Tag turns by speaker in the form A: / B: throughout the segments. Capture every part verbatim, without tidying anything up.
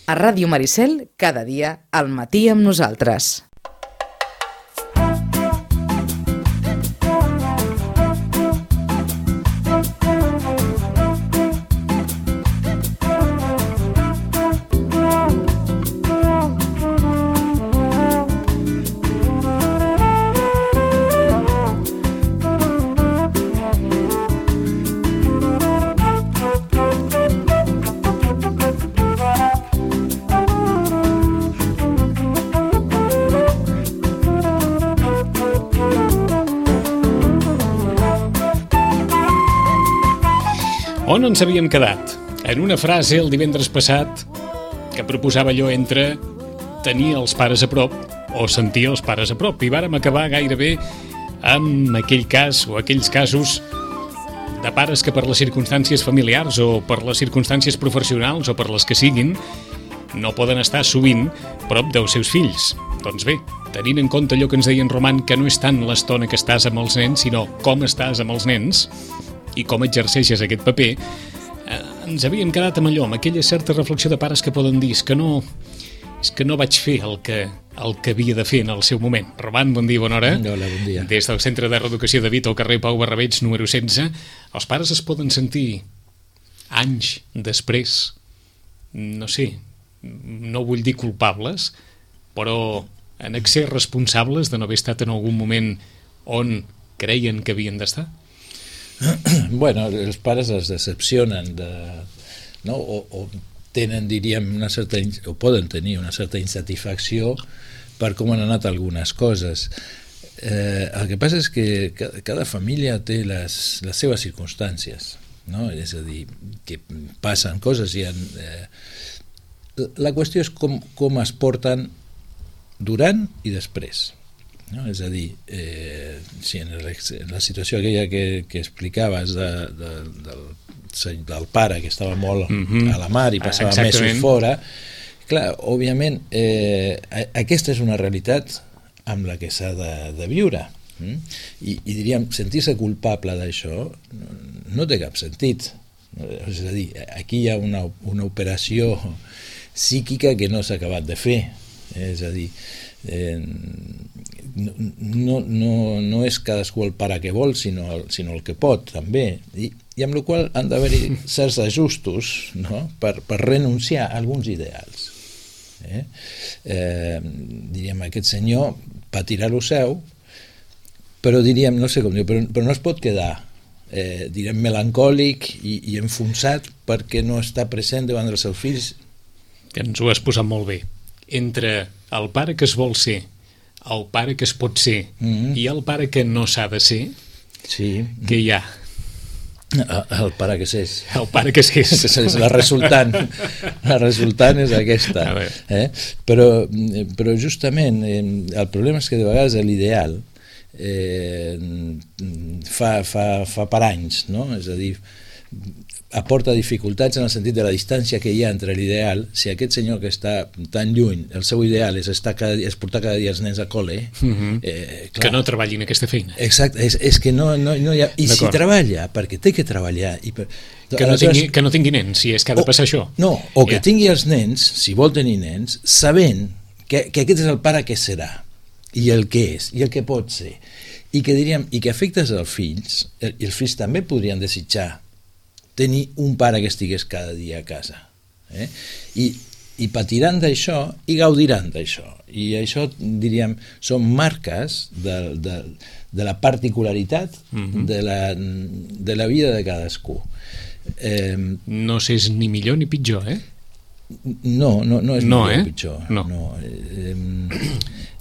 A: A Ràdio Maricel, cada dia, al matí amb nosaltres.
B: On ens havíem quedat? En una frase el divendres passat que proposava allò entre tenir els pares a prop o sentir els pares a prop, i vàrem acabar gairebé amb aquell cas o aquells casos de pares que per les circumstàncies familiars o per les circumstàncies professionals o per les que siguin no poden estar sovint prop dels seus fills. Doncs bé, tenint en compte allò que ens deia en Roman, que no és tant l'estona que estàs amb els nens, sinó com estàs amb els nens i com exerceixes aquest paper, eh, ens havíem quedat amb allò, amb aquella certa reflexió de pares que poden dir és que no, és que no vaig fer el que, el que havia de fer en el seu moment. Roman, bon dia, bona hora.
C: Hola, bon dia.
B: Des del Centre de Reeducació de Vita, al carrer Pau Barrabeig, número setze, els pares es poden sentir anys després, no sé, no vull dir culpables, però en ser responsables de no haver estat en algun moment on creien que havien d'estar?
C: Bueno, els pares es decepcionen de, no? o, o tenen, diríem, una certa, o poden tenir una certa insatisfacció per com han anat algunes coses. Eh, el que passa és que cada, cada família té les, les seves circumstàncies, no? És a dir, que passen coses i han, eh, la qüestió és com, com es porten durant i després. No? És a dir, eh, si en, el, en la situació aquella que, que explicaves de, de, del, del pare que estava molt mm-hmm. a la mar i passava Exactament. mesos fora, clar, òbviament eh, aquesta és una realitat amb la que s'ha de, de viure, mm? I, i diríem, sentir-se culpable d'això no, no té cap sentit. És a dir, aquí hi ha una, una operació psíquica que no s'ha acabat de fer, és a dir, eh, no, no, no és cadascú el pare que vol, sinó el, sinó el que pot també, i, i amb la qual han d'haver-hi certs ajustos, no? per, per renunciar a alguns ideals. Eh? Eh, diríem, aquest senyor patirà lo seu, però diríem, no sé com dir, però, però no es pot quedar eh, diríem melancòlic i, i enfonsat perquè no està present davant dels seus fills.
B: Ens ho has posat molt bé. Entre el pare que es vol ser, el pare que es pot ser mm-hmm. i el pare que no s'ha de ser,
C: sí.
B: què hi ha?
C: El pare que s'és.
B: El pare que s'és.
C: És la resultant. La resultant és aquesta. Eh? Però, però justament el problema és que de vegades l'ideal eh, fa, fa, fa per anys, no? És a dir, aporta dificultats en el sentit de la distància que hi ha entre l'ideal. Si aquest senyor que està tan lluny, el seu ideal és, estar cada dia, és portar cada dia els nens a col·le,
B: uh-huh. eh, que no treballin aquesta feina.
C: Exacte, és, és que no, no, no hi ha... I D'acord. Si treballa, perquè té que treballar... I per,
B: que, no tingui, que no tingui nens, si és que ha de passar o, això.
C: No, o que yeah. tingui els nens, si vol tenir nens, sabent que, que aquest és el pare que serà, i el que és, i el que pot ser. I que diríem, i que afectes als fills, i els fills també podrien desitjar tenir un pare que estigués cada dia a casa. Eh? I, i patiran d'això i gaudiran d'això. I això, diríem, són marques de, de, de la particularitat mm-hmm. de, la, de la vida de cadascú.
B: Eh, no s'és ni millor ni pitjor, eh?
C: No, no, no és
B: no,
C: millor
B: eh?
C: ni pitjor.
B: No.
C: no.
B: Eh,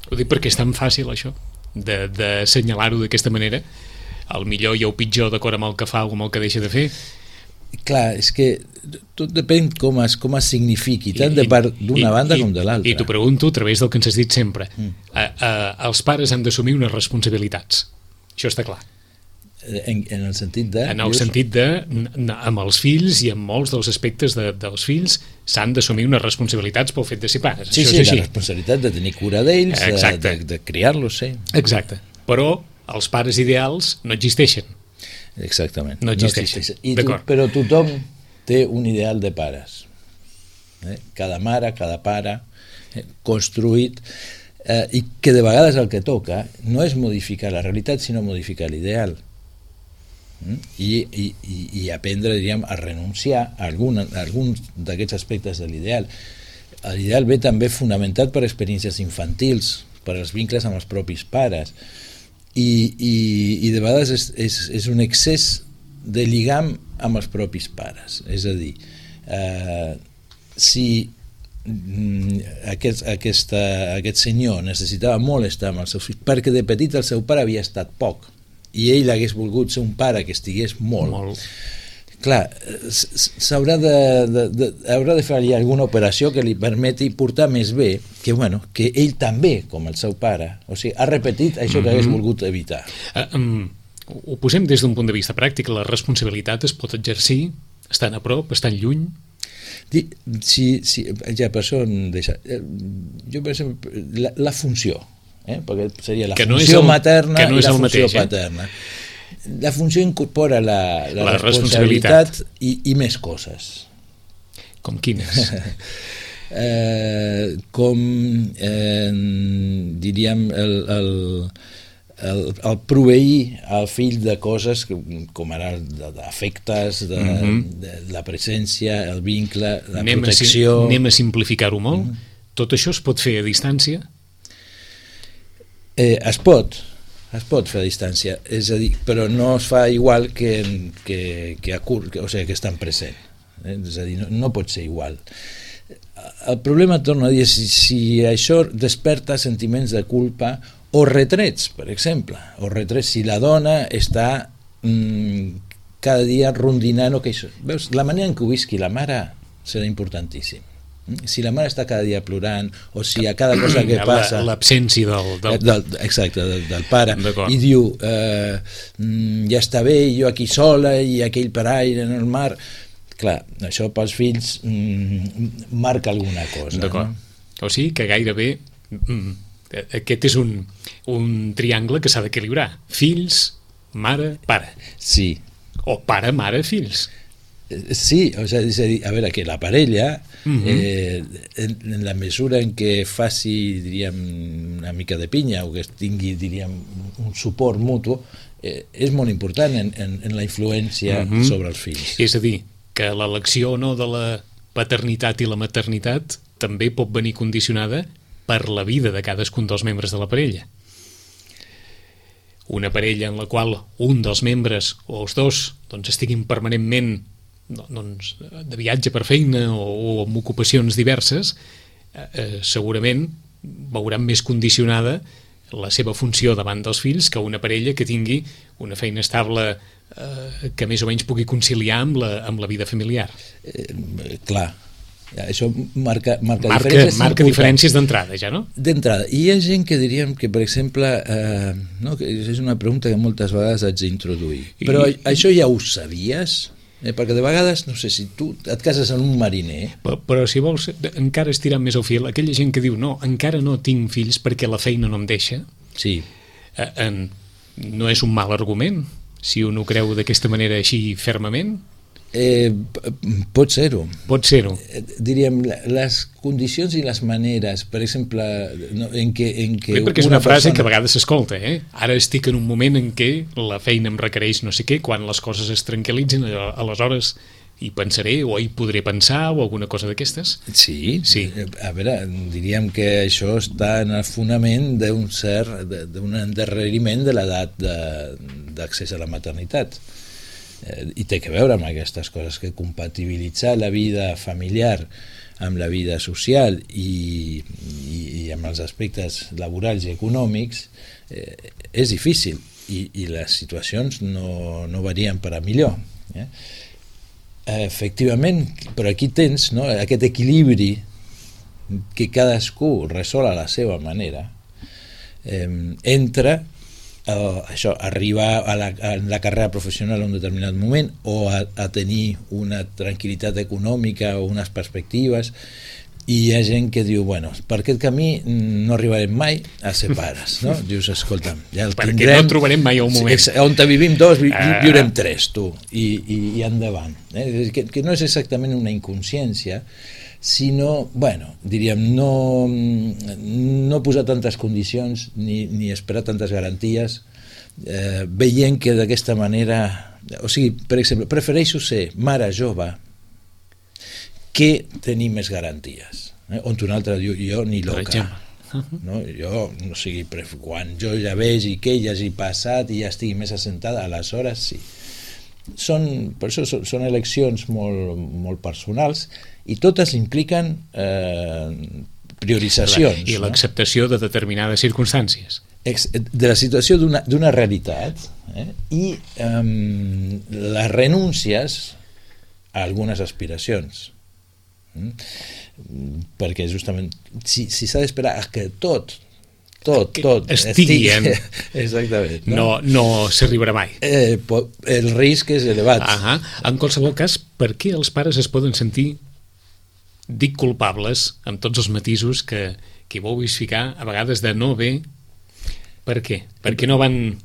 B: Ho dic perquè és tan fàcil, això, de, de assenyalar-ho d'aquesta manera. El millor i el pitjor d'acord amb el que fa o amb el que deixa de fer.
C: Clar, és que tot depèn com es, com es signifiqui, tant de part d'una banda
B: i,
C: com de l'altra.
B: I t'ho pregunto a través del que ens has dit sempre. Mm. A, a, els pares han d'assumir unes responsabilitats. Això està clar.
C: En, en el sentit de...
B: En el sentit de, amb els fills i amb molts dels aspectes de, dels fills s'han d'assumir unes responsabilitats pel fet de ser pares.
C: Sí,
B: Això
C: sí,
B: és
C: la responsabilitat de tenir cura d'ells, de, de, de criar-los, sí.
B: Exacte. Però els pares ideals no existeixen.
C: Exactament.
B: No existeixen.
C: No existeixen. I tu, però tothom té un ideal de pares. eh? cada mare, cada pare, eh? construït, eh, i que de vegades el que toca no és modificar la realitat, sinó modificar l'ideal. Mm? I, i, i aprendre, diríem, a renunciar a, algun, a alguns d'aquests aspectes de l'ideal. L'ideal ve també fonamentat per experiències infantils, per als vincles amb els propis pares, i, i, i de vegades és, és, és un excés de lligam amb els propis pares. És a dir, eh, si aquest, aquesta, aquest senyor necessitava molt estar amb els seus fills, perquè de petit el seu pare havia estat poc, i ell hagués volgut ser un pare que estigués molt, molt. Clar, s'haurà de, de, de, haurà de fer alguna operació que li permeti portar més bé que, bueno, que ell també, com el seu pare, o sigui, ha repetit això que hagués volgut evitar.
B: Uh, um, ho posem des d'un punt de vista pràctic. La responsabilitat es pot exercir estant a prop, estant lluny?
C: Sí, sí, ja per això deixa, jo per exemple, la, la funció, eh? perquè seria la que funció no el, materna no i la funció mateix, eh? paterna. La funció incorpora la, la, la responsabilitat, responsabilitat i, i més coses.
B: Com quines?
C: eh, com eh, diríem el, el, el, el proveir al fill de coses com ara d'afectes, de, mm-hmm. de, de la presència, el vincle, la anem protecció.
B: A, anem a simplificar-ho molt. Mm-hmm. Tot això es pot fer a distància?
C: Eh, es pot. Es pot fer a distància, és a dir, però no es fa igual que, que, que a curt, que, o sigui, que estan present. Eh? És a dir, no, no pot ser igual. El problema, torno a dir, si, si això desperta sentiments de culpa o retrets, per exemple, o retrets si la dona està mmm, cada dia rondinant o que això. Veus, la manera en què ho visqui la mare serà importantíssim. Si la mare està cada dia plorant o si a cada cosa que passa
B: l'absència del, del...
C: del, exacte, del, del pare i diu eh, ja està bé, jo aquí sola i aquell paraire en el mar, clar, això pels fills mm, marca alguna cosa, no?
B: O sigui que gairebé mm, aquest és un, un triangle que s'ha d'equilibrar: fills, mare, pare.
C: Sí.
B: O pare, mare, fills.
C: Sí, o sigui, és a dir, a veure, que la parella, uh-huh. eh, en, en la mesura en què faci, diríem, una mica de pinya o que tingui, diríem, un suport mutu, eh, és molt important en, en, en la influència uh-huh. sobre els fills.
B: És a dir, que l'elecció o no de la paternitat i la maternitat també pot venir condicionada per la vida de cadascun dels membres de la parella. Una parella en la qual un dels membres o els dos doncs, estiguin permanentment doncs, de viatge per feina o, o amb ocupacions diverses, eh, segurament veuran més condicionada la seva funció davant dels fills que una parella que tingui una feina estable eh, que més o menys pugui conciliar amb la, amb la vida familiar.
C: Eh, clar, això marca, marca,
B: marca diferències, marca diferències d'entrada, ja, no?
C: D'entrada. I hi ha gent que diríem que, per exemple, eh, no, que és una pregunta que moltes vegades haig d'introduir. Però I... això ja ho sabies? Eh, perquè de vegades, no sé, si tu et cases en un mariner...
B: Però, però si vols encara estirar més el fil, aquella gent que diu no, encara no tinc fills perquè la feina no em deixa,
C: sí.
B: eh, en, no és un mal argument, si un ho creu d'aquesta manera així fermament?
C: Eh, pot ser-ho.
B: Pot ser-ho.
C: Eh, diríem, les condicions i les maneres, per exemple, no, en què... En què
B: Bé, perquè és una, una frase persona... que a vegades s'escolta, eh? Ara estic en un moment en què la feina em requereix no sé què, quan les coses es tranquil·litzen, aleshores hi pensaré o hi podré pensar o alguna cosa d'aquestes.
C: Sí,
B: sí.
C: A veure, diríem que això està en el fonament d'un cert, d'un endarreriment de l'edat d'accés a la maternitat. I té que veure amb aquestes coses, que compatibilitzar la vida familiar amb la vida social i, i, i amb els aspectes laborals i econòmics eh, és difícil i, i les situacions no, no varien per a millor. Eh? Efectivament, però aquí tens, no, aquest equilibri que cadascú resol a la seva manera eh, entre Uh, això, arribar a la, a la carrera professional en un determinat moment o a, a tenir una tranquil·litat econòmica o unes perspectives, i hi ha gent que diu, bueno, per aquest camí no arribarem mai a ser pares, no? Dius, escolta'm, ja el
B: perquè
C: tindrem,
B: no trobarem mai un moment,
C: sí, on vivim dos, vi, ah. viurem tres, tu, i, i, i endavant, eh? que, que no és exactament una inconsciència, sinó, bueno, diríem, no, no posar tantes condicions ni, ni esperar tantes garanties, eh, veient que d'aquesta manera, o sigui, per exemple, prefereixo ser mare jove que tenir més garanties. Eh? On un altre diu, jo ni loca. No? Jo, no sigui, quan jo ja vegi que ella hagi passat i ja estigui més assentada, aleshores sí. Són, per això són, són eleccions molt, molt personals i totes impliquen eh, prioritzacions.
B: I l'acceptació no? de determinades circumstàncies.
C: De la situació d'una, d'una realitat eh? i eh, les renúncies a algunes aspiracions. Mm? Perquè justament si, si s'ha d'esperar que tot tot, tot
B: estigui, estigui
C: exactament,
B: no, no, no s'arribarà mai,
C: eh, el risc és elevat.
B: Ahà. En qualsevol cas, per què els pares es poden sentir, dic culpables amb tots els matisos que, que hi vulguis ficar a vegades de no bé? Per què? Perquè no van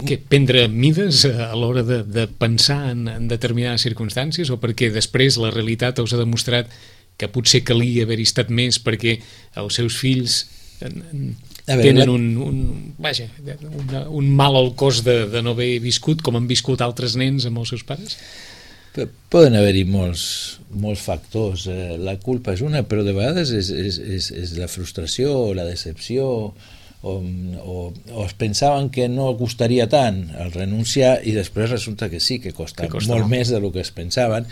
B: que prendre mides a l'hora de, de pensar en, en determinades circumstàncies, o perquè després la realitat us ha demostrat que potser calia haver-hi estat més perquè els seus fills en, en, veure, tenen la... un, un, vaja, una, un mal al cos de, de no haver viscut com han viscut altres nens amb els seus pares?
C: Poden haver-hi molts, molts factors. La culpa és una, però de vegades és, és, és, és la frustració o la decepció, o, o, o es pensaven que no costaria tant el renunciar i després resulta que sí, que costa, que costa molt no? més del que es pensaven.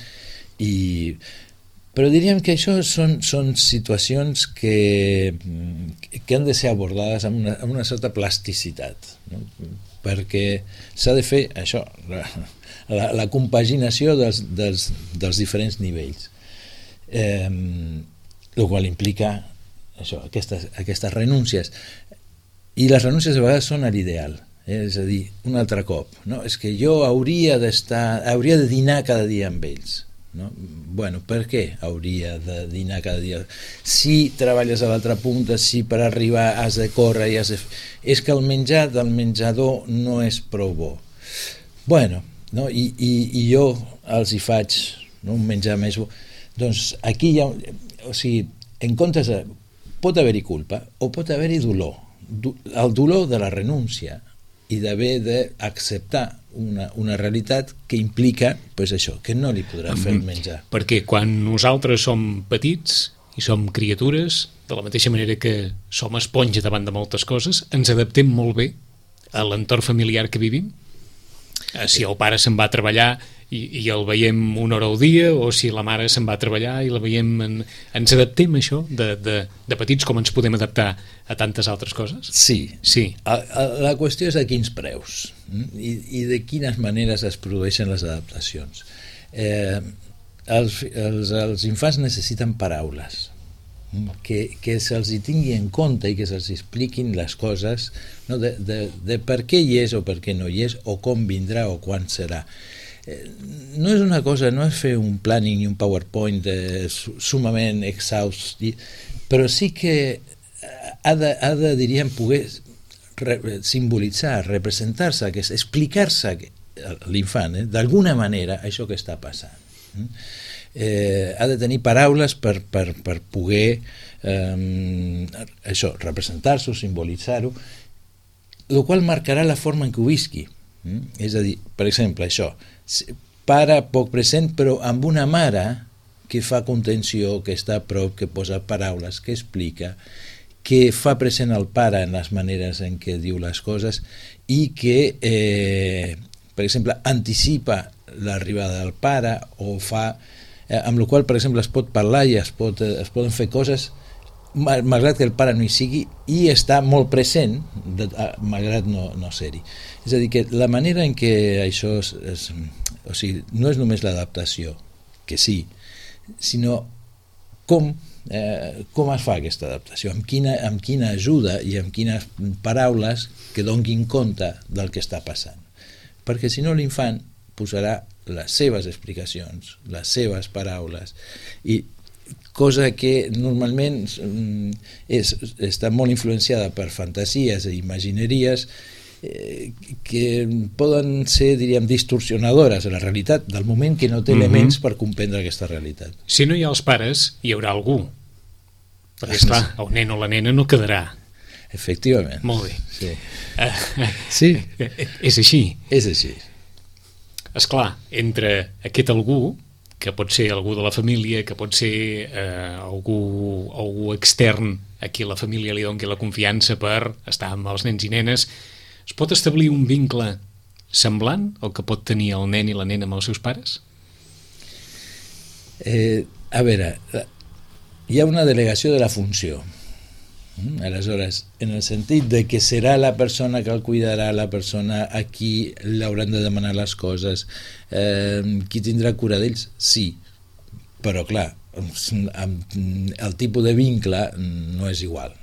C: I però diríem que això són, són situacions que, que han de ser abordades amb una, amb una certa plasticitat, no? Perquè s'ha de fer això, la, la, la compaginació dels, dels, dels diferents nivells, eh, el qual implica això, aquestes, aquestes renúncies, i les renúncies a vegades són a l'ideal, eh? És a dir, un altre cop, no? És que jo hauria d'estar, hauria de dinar cada dia amb ells. No? Bueno, per què hauria de dinar cada dia? Si treballes a l'altra punta, si per arribar has de córrer i has de... és que el menjar del menjador no és prou bo. Bueno, no? I, i, i jo els hi faig, no? Un menjar més bo. Doncs aquí hi ha... O sigui, en comptes de... pot haver-hi culpa o pot haver-hi dolor. El dolor de la renúncia i d'haver d'acceptar una, una realitat que implica pues això, que no li podrà fer el menjar.
B: Perquè quan nosaltres som petits i som criatures, de la mateixa manera que som esponja davant de moltes coses, ens adaptem molt bé a l'entorn familiar que vivim. Si el pare se'n va a treballar i, i el veiem una hora al dia, o si la mare se'n va a treballar i la veiem... En... Ens adaptem a això de, de, de petits com ens podem adaptar a tantes altres coses?
C: Sí.
B: sí.
C: A, a, la qüestió és a quins preus i, i de quines maneres es produeixen les adaptacions. Eh, els, els, els infants necessiten paraules, que, que se'ls hi tingui en compte i que se'ls expliquin les coses, no? de, de, de per què hi és o per què no hi és, o com vindrà o quan serà. Eh, no és una cosa, no és fer un planning i un PowerPoint eh, sumament exhaust, però sí que ha de, ha de diríem, poder re, simbolitzar, representar-se, explicar-se l'infant, eh, d'alguna manera, això que està passant. Eh, ha de tenir paraules per, per, per poder eh, això, representar-s'ho, simbolitzar-ho, el qual marcarà la forma en què ho visqui. Mm? És a dir, per exemple, això, pare poc present però amb una mare que fa contenció, que està a prop, que posa paraules, que explica, que fa present el pare en les maneres en què diu les coses i que, eh, per exemple, anticipa l'arribada del pare o fa... Eh, amb la qual, per exemple, es pot parlar i es, pot, eh, es poden fer coses malgrat que el pare no hi sigui i està molt present de, malgrat no, no ser-hi. És a dir, que la manera en què això és, és, o sigui, no és només l'adaptació, que sí, sinó com, eh, com es fa aquesta adaptació, amb quina, amb quina ajuda i amb quines paraules que donin compte del que està passant. Perquè si no l'infant posarà les seves explicacions, les seves paraules, i cosa que normalment és, està molt influenciada per fantasies i imagineries, eh, que poden ser, diríem, distorsionadores de la realitat, del moment que no té
B: Mhm.
C: elements per comprendre aquesta realitat.
B: Si no hi ha els pares, hi haurà algú. Perquè, esclar, el nen o la nena no quedarà.
C: Efectivament.
B: Molt bé.
C: Sí.
B: Eh,
C: Sí,
B: és així.
C: és així.
B: Esclar, entre aquest algú, que pot ser algú de la família, que pot ser eh, algú, algú extern a qui la família li doni la confiança per estar amb els nens i nenes, es pot establir un vincle semblant al que pot tenir el nen i la nena amb els seus pares?
C: Eh, a veure, hi ha una delegació de la funció. Mm? Aleshores, en el sentit de que serà la persona que el cuidarà, la persona a qui l'hauran de demanar les coses, eh, qui tindrà cura d'ells, sí, però clar, el tipus de vincle no és igual,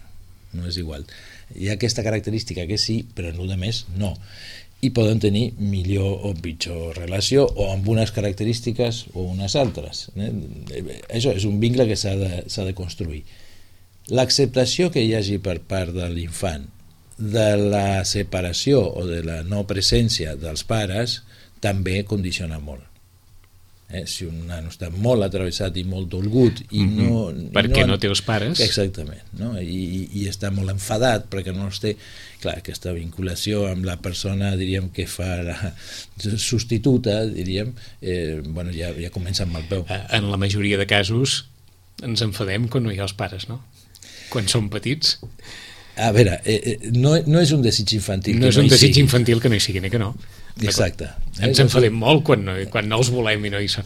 C: no és igual. Hi ha aquesta característica que sí, però en el més no. I poden tenir millor o pitjor relació, o amb unes característiques o unes altres. Eh? Això és un vincle que s'ha de, s'ha de construir. L'acceptació que hi hagi per part de l'infant de la separació o de la no presència dels pares també condiciona molt. Eh? Si un nano està molt atravessat i molt dolgut i
B: Mm-hmm.
C: no, i
B: Perquè
C: no,
B: no té els pares.
C: exactament, no? I, i, i està molt enfadat perquè no els té, clar, aquesta vinculació amb la persona, diríem, que fa la substituta, diríem, eh, bueno, ja, ja comença amb el peu.
B: Eh, En la majoria de casos ens enfadem quan no hi ha els pares, no? Quan som petits.
C: A veure, eh, eh, no, no és un desig infantil.
B: No
C: que
B: és un
C: hi
B: desig
C: sigui.
B: infantil que no hi sigui, ni que no.
C: Exacte.
B: Ens enfadem molt quan no, quan no els volem i no hi són.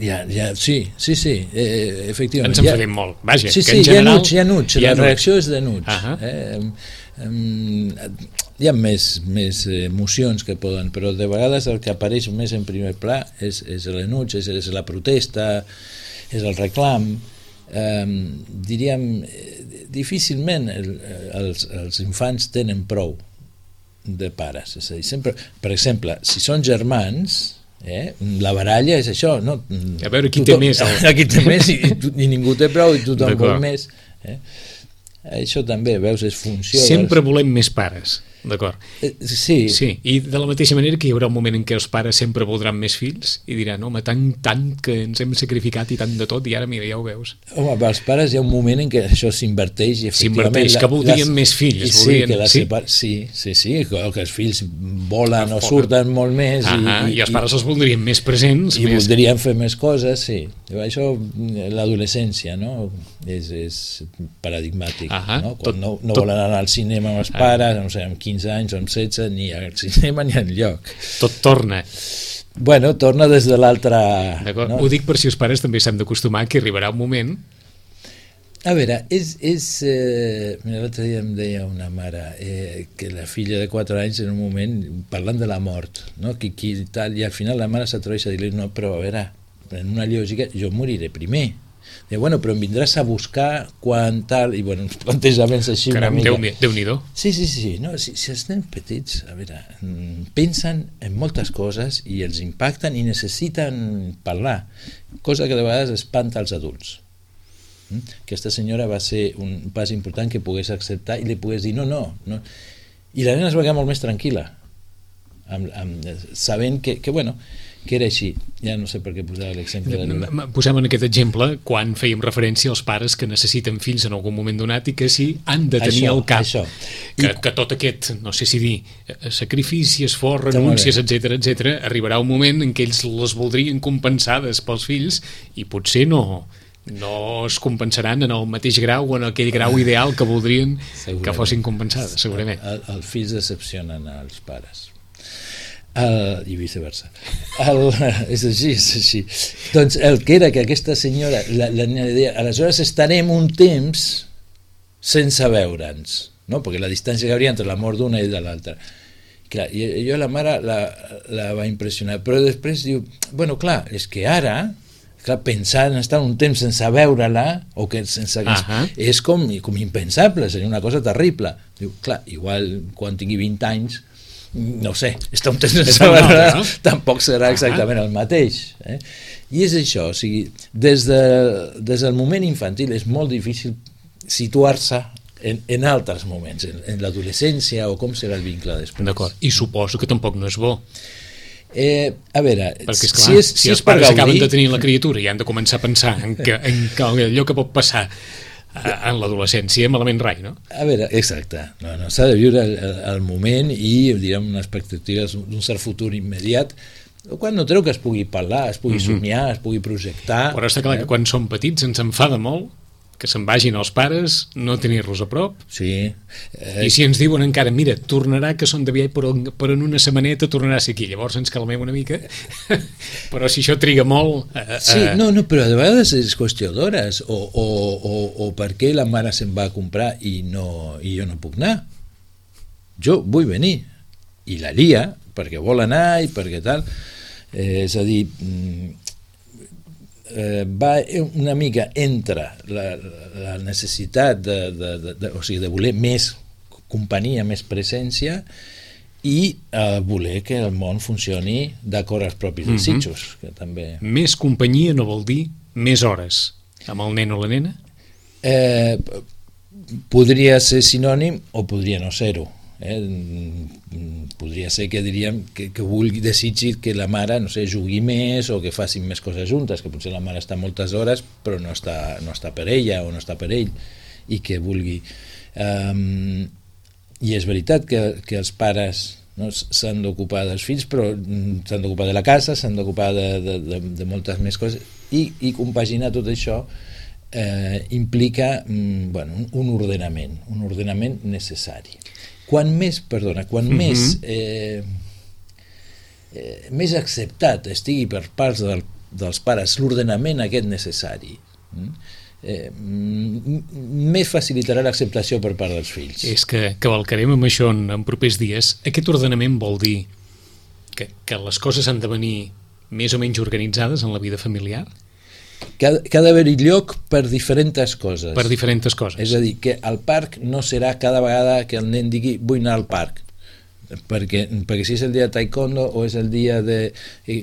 C: Ja, ja, sí, sí, sí, eh, efectivament.
B: Ens enfadem ja, molt, vaja.
C: Sí,
B: que
C: sí,
B: en general,
C: hi ha nuig, hi ha nuig,
B: hi ha
C: la
B: nuig.
C: reacció és de nuig.
B: Ahà.
C: Eh, eh, hi ha més, més emocions que poden, però de vegades el que apareix més en primer pla és, és l'enuig, és, és la protesta, és el reclam. Eh, diríem, difícilment el, els, els infants tenen prou de pares. És a dir, sempre, per exemple, si són germans, eh, la baralla és això, no?
B: A veure qui
C: tothom,
B: té més. El...
C: Qui té més i, i, i ningú té prou i tothom
B: D'acord.
C: vol més. Eh? Això també, veus, és funció...
B: Sempre
C: dels...
B: volem més pares, d'acord.
C: Eh, sí,
B: Sí, i de la mateixa manera que hi haurà un moment en què els pares sempre voldran més fills i diran, home, tant, tant que ens hem sacrificat i tant de tot, i ara, mira, ja ho veus.
C: home, pels pares hi ha un moment en què això s'inverteix i efectivament...
B: S'inverteix, que voldrien
C: les-
B: més fills,
C: i sí,
B: voldrien-
C: que la
B: sí?
C: separ... sí, sí, sí, que que els fills volen o
B: Volen.
C: surten molt més
B: Ah,
C: i,
B: i els pares els voldrien més presents.
C: i
B: més...
C: voldrien fer més coses, sí. Això, l'adolescència, no? És, és paradigmàtic,
B: Ahà,
C: no?
B: tot-
C: Quan no, no
B: tot-
C: volen anar al cinema amb els pares, no sé, amb quinze anys o amb setze, ni al cinema ni enlloc.
B: Tot torna.
C: Bueno, torna des de l'altra...
B: D'acord?
C: No?
B: Ho dic per si els pares també s'han d'acostumar que arribarà un moment.
C: A veure, és... és eh, mira, l'altre dia em deia una mare eh, que la filla de quatre anys en un moment, parlant de la mort, no? que, que, tal, i al final la mare s'atreveix a dir-li, no, però a veure, en una lògica, jo moriré primer. Diu, bueno, però em vindràs a buscar quan tal, i bueno, uns plantejaments així
B: Caram,
C: una mica...
B: Déu, Déu-n'hi-do.
C: Sí, sí, sí, no, si, si els nens petits, a veure, mm, pensen en moltes coses i els impacten i necessiten parlar, cosa que de vegades espanta als adults. Mm? Aquesta senyora va ser un pas important que pogués acceptar i li pogués dir no, no, no. I la nena es va quedar molt més tranquil·la, amb, amb, sabent que, que, bueno, que era així. Ja no sé per què posava l'exemple de la...
B: Posem en aquest exemple quan fèiem referència als pares que necessiten fills en algun moment donat i que sí han de tenir
C: Això,
B: al cap
C: això.
B: que,
C: I-
B: que tot aquest, no sé si dir, eh, sacrifici, esforç,
C: Està molt
B: renúncies,
C: bé.
B: etcètera, etcètera, arribarà un moment en què ells les voldrien compensades pels fills i potser no, no es compensaran en el mateix grau o en aquell grau ideal que voldrien que
C: Segurament.
B: fossin compensades, segurament.
C: El, els fills decepcionen als pares. El, i viceversa. El, és així, és així. Doncs el que era que aquesta senyora, la, la nena deia, aleshores estarem un temps sense veure'ns, no? Perquè la distància que hi hauria entre la mort d'una i de l'altra. Clar, i jo la mare la, la va impressionar, però després diu, bueno, clar, és que ara, clar, pensar en estar un temps sense veure-la, o que sense que
B: Ahà.
C: és com, com impensable, seria una cosa terrible. Diu, clar, igual quan tingui vint anys, no ho sé, estar un temps sense
B: És un altre,
C: veure-la,
B: no?
C: tampoc serà exactament el mateix. Eh? I és això, o sigui, des, de, des del moment infantil és molt difícil situar-se en, en altres moments, en, en l'adolescència o com serà el vincle després.
B: D'acord, i suposo que tampoc no és bo.
C: Eh, a veure,
B: perquè, esclar,
C: si, és, si,
B: si
C: és
B: els
C: per
B: pares
C: gaudir...
B: acaben de tenir la criatura i han de començar a pensar en, que, en que allò que pot passar en l'adolescència, malament rai, no?
C: A veure, exacte, no, no, s'ha de viure el, el, el moment i, direm, unes expectatives d'un cert futur immediat, quan no treu que es pugui parlar, es pugui mm-hmm. somiar, es pugui projectar...
B: Però està clar eh? que quan som petits ens enfada molt que se'n vagin els pares, no tenir-los a prop.
C: Sí.
B: Eh... I si ens diuen encara, mira, tornarà que són de viatge, però, però en una setmaneta tornarà a ser aquí. Llavors ens calmem una mica. Però si això triga molt... Eh,
C: sí, no, no, però de vegades és qüestió d'hores. O, o, o, o per què la mare se'n va a comprar i, no, i jo no puc anar? Jo vull venir. I la lia, perquè vol anar i perquè tal. Eh, és a dir... Eh, va una mica entre la, la necessitat de, de, de, de, o sigui, de voler més companyia, més presència i eh, voler que el món funcioni d'acord als propis
B: mm-hmm.
C: desitjos, que també...
B: Més companyia no vol dir més hores amb el nen o la nena?
C: Eh, podria ser sinònim o podria no ser-ho. Eh? Podria ser que diríem que, que vulgui, desitgi que la mare, no sé, jugui més o que facin més coses juntes, que potser la mare està moltes hores però no està, no està per ella o no està per ell i que vulgui um, i és veritat que, que els pares no, s'han d'ocupar dels fills però s'han d'ocupar de la casa, s'han d'ocupar de, de, de, de moltes més coses i, i compaginar tot això eh, implica mm, bueno, un, un ordenament un ordenament necessari. Quan més, perdona, quan mm-hmm. més eh, eh, més acceptat estigui per parts del, dels pares l'ordenament aquest necessari, eh, més facilitarà l'acceptació per part dels fills.
B: És que cavalcarem amb això en, en propers dies. Aquest ordenament vol dir que, que les coses han de venir més o menys organitzades en la vida familiar?
C: Que, que ha d'haver-hi lloc per diferents coses.
B: Per diferents coses.
C: És a dir, que al parc no serà cada vegada que el nen digui vull anar al parc. Perquè, perquè si és el dia de taekwondo o és el dia de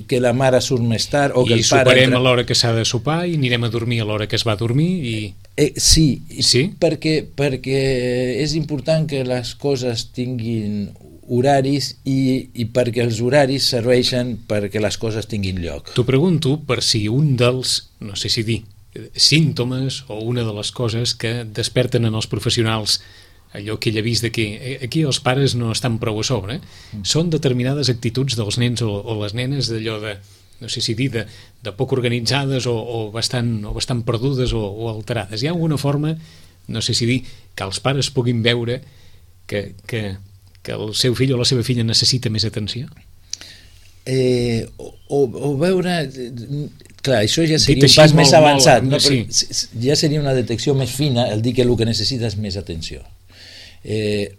C: que la mare surt més tard o que
B: I
C: el pare... I
B: soparem
C: entra...
B: a l'hora que s'ha de sopar i anirem a dormir a l'hora que es va a dormir i...
C: Eh, sí,
B: sí?
C: Perquè, perquè és important que les coses tinguin horaris i, i perquè els horaris serveixen perquè les coses tinguin lloc.
B: T'ho pregunto per si un dels, no sé si dir, símptomes o una de les coses que desperten en els professionals allò que ell ha vist de que aquí els pares no estan prou a sobre, eh? mm. són determinades actituds dels nens o, o les nenes d'allò de, no sé si dir, de, de poc organitzades o, o, bastant, o bastant perdudes o, o alterades. Hi ha alguna forma, no sé si dir, que els pares puguin veure que... que que el seu fill o la seva filla necessita més atenció?
C: Eh, o, o veure... Clar, això ja seria un pas més avançat.
B: Molt,
C: no?
B: sí.
C: Ja seria una detecció més fina el dir que el que necessita és més atenció. Eh,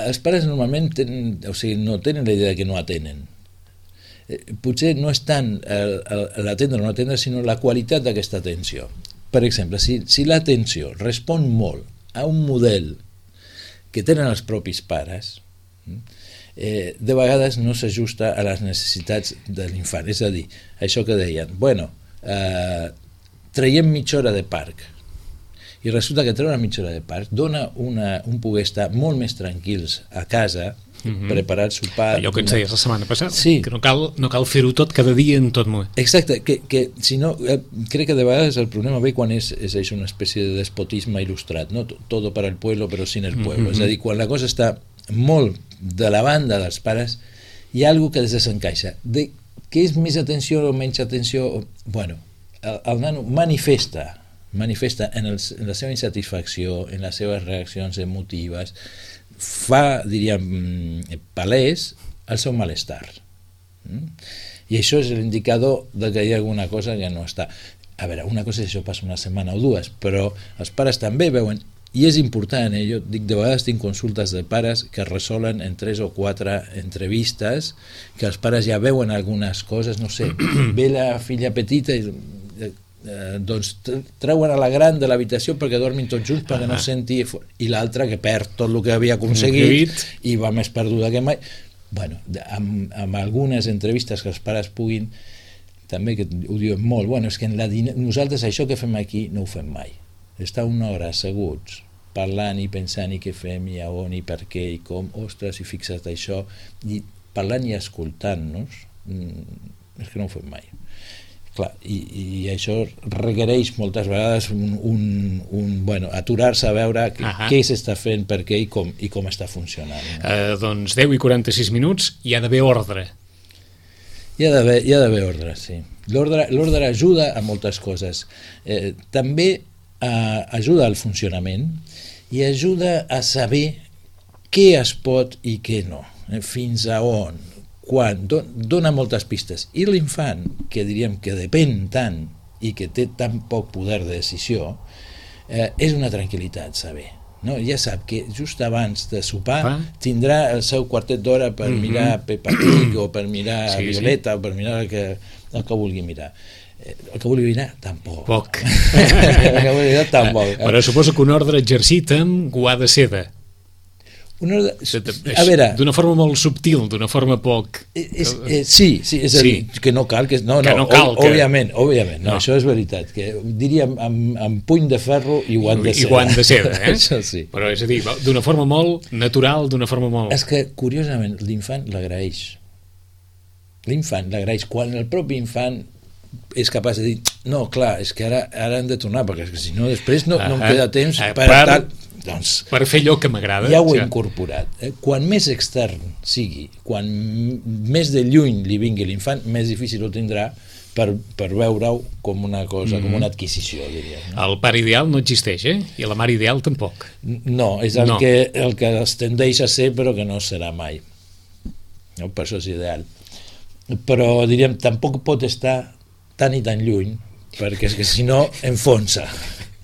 C: els pares normalment tenen, o sigui, no tenen la idea que no atenen. Eh, potser no és tant l'atendre o no atendre, sinó la qualitat d'aquesta atenció. Per exemple, si, si l'atenció respon molt a un model que tenen els propis pares, eh, de vegades no s'ajusta a les necessitats de l'infant. És a dir, això que deien, bueno, eh, traiem mitja hora de parc, i resulta que treure una mitja hora de parc dona una, un poder estar molt més tranquils a casa, mm-hmm. preparar el sopar...
B: Allò que ens deies la setmana passada,
C: sí.
B: que no cal, no cal fer-ho tot cada dia en tot moment.
C: Exacte, que, que si no, eh, crec que de vegades el problema ve quan és, és, és una espècie de despotisme il·lustrat, no? Todo para el pueblo però sin el pueblo, mm-hmm. és a dir, quan la cosa està molt de la banda dels pares hi ha alguna que desencaixa, de que és més atenció o menys atenció, bueno, el, el nano manifesta manifesta en, el, en la seva insatisfacció, en les seves reaccions emotives, fa, diríem, palès el seu malestar. Mm? I això és l'indicador de que hi ha alguna cosa que no està... A veure, una cosa és això passa una setmana o dues, però els pares també veuen, i és important, eh? Jo dic, de vegades tinc consultes de pares que resolen en tres o quatre entrevistes, que els pares ja veuen algunes coses, no sé, ve la filla petita i... Eh, doncs treuen a la gran de l'habitació perquè dormin tots junts perquè no senti, i l'altra que perd tot el que havia aconseguit i va més perduda que mai. Bueno, amb, amb algunes entrevistes que els pares puguin, també que ho diuen molt, bueno, és que en la din- nosaltres això que fem aquí no ho fem mai, estar una hora asseguts parlant i pensant i què fem i a on i per què i com, ostres, i fixa't això, i parlant i escoltant-nos, és que no ho fem mai. Clar, i, i això requereix moltes vegades un, un, un bueno, aturar-se a veure uh -huh. què s'està fent, per què i com, i com està funcionant. No?
B: Uh, doncs deu i quaranta-sis minuts, hi ha d'haver ordre.
C: Hi ha d'haver, hi ha d'haver ordre, sí. L'ordre, l'ordre ajuda a moltes coses. Eh, també eh, ajuda al funcionament i ajuda a saber què es pot i què no, eh, fins a on, quan, don, dona moltes pistes. I l'infant, que diríem que depèn tant i que té tan poc poder de decisió, eh, és una tranquil·litat saber. No? Ja sap que just abans de sopar ah. tindrà el seu quartet d'hora per mm-hmm. mirar Peppa Pig o per mirar sí, Violeta sí. o per mirar el que, el que vulgui mirar. El que vulgui mirar, tampoc.
B: Poc.
C: El que vulgui mirar, tampoc.
B: Però suposo que un ordre exercit amb guà de seda.
C: Una ordre... A veure...
B: D'una forma molt subtil, d'una forma poc...
C: És, és, sí, sí, és a dir, sí. que no cal... Que, no,
B: que
C: no,
B: no cal.
C: Òbviament,
B: que...
C: òbviament, no, no, això és veritat. Que diríem amb, amb puny de ferro i guant de seda.
B: I guant de seda, eh?
C: Això sí.
B: Però és a dir, d'una forma molt natural, d'una forma molt...
C: És que, curiosament, l'infant l'agraeix. L'infant l'agraeix. Quan el propi infant és capaç de dir, no, clar, és que ara, ara hem de tornar, perquè és que si no després no, ah, no em queda temps
B: ah,
C: per,
B: per,
C: tal, doncs,
B: per fer allò que m'agrada.
C: Ja ho he
B: ja. incorporat.
C: Eh? Quan més extern sigui, quan més de lluny li vingui l'infant, més difícil ho tindrà per, per veure-ho com una cosa, mm-hmm. com una adquisició, diria. No?
B: El pare ideal no existeix, eh? I la mare ideal tampoc.
C: No, és el,
B: no.
C: Que, el que es tendeix a ser, però que no serà mai. No? Per això és ideal. Però, diríem, tampoc pot estar tan i tan lluny, perquè és que si no enfonsa,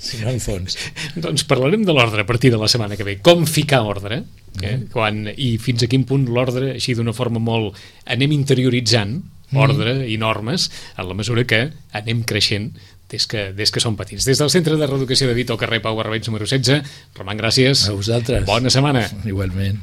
C: si no enfonsa.
B: Doncs parlarem de l'ordre a partir de la setmana que ve, com ficar ordre, eh? mm. Quan, i fins a quin punt l'ordre, així d'una forma molt, anem interioritzant ordre mm. i normes, en la mesura que anem creixent des que, des que som petits. Des del Centre de Reeducació de Vito, al carrer Pau Barberets número setze, Roman, gràcies.
C: A vosaltres.
B: Bona setmana.
C: Igualment.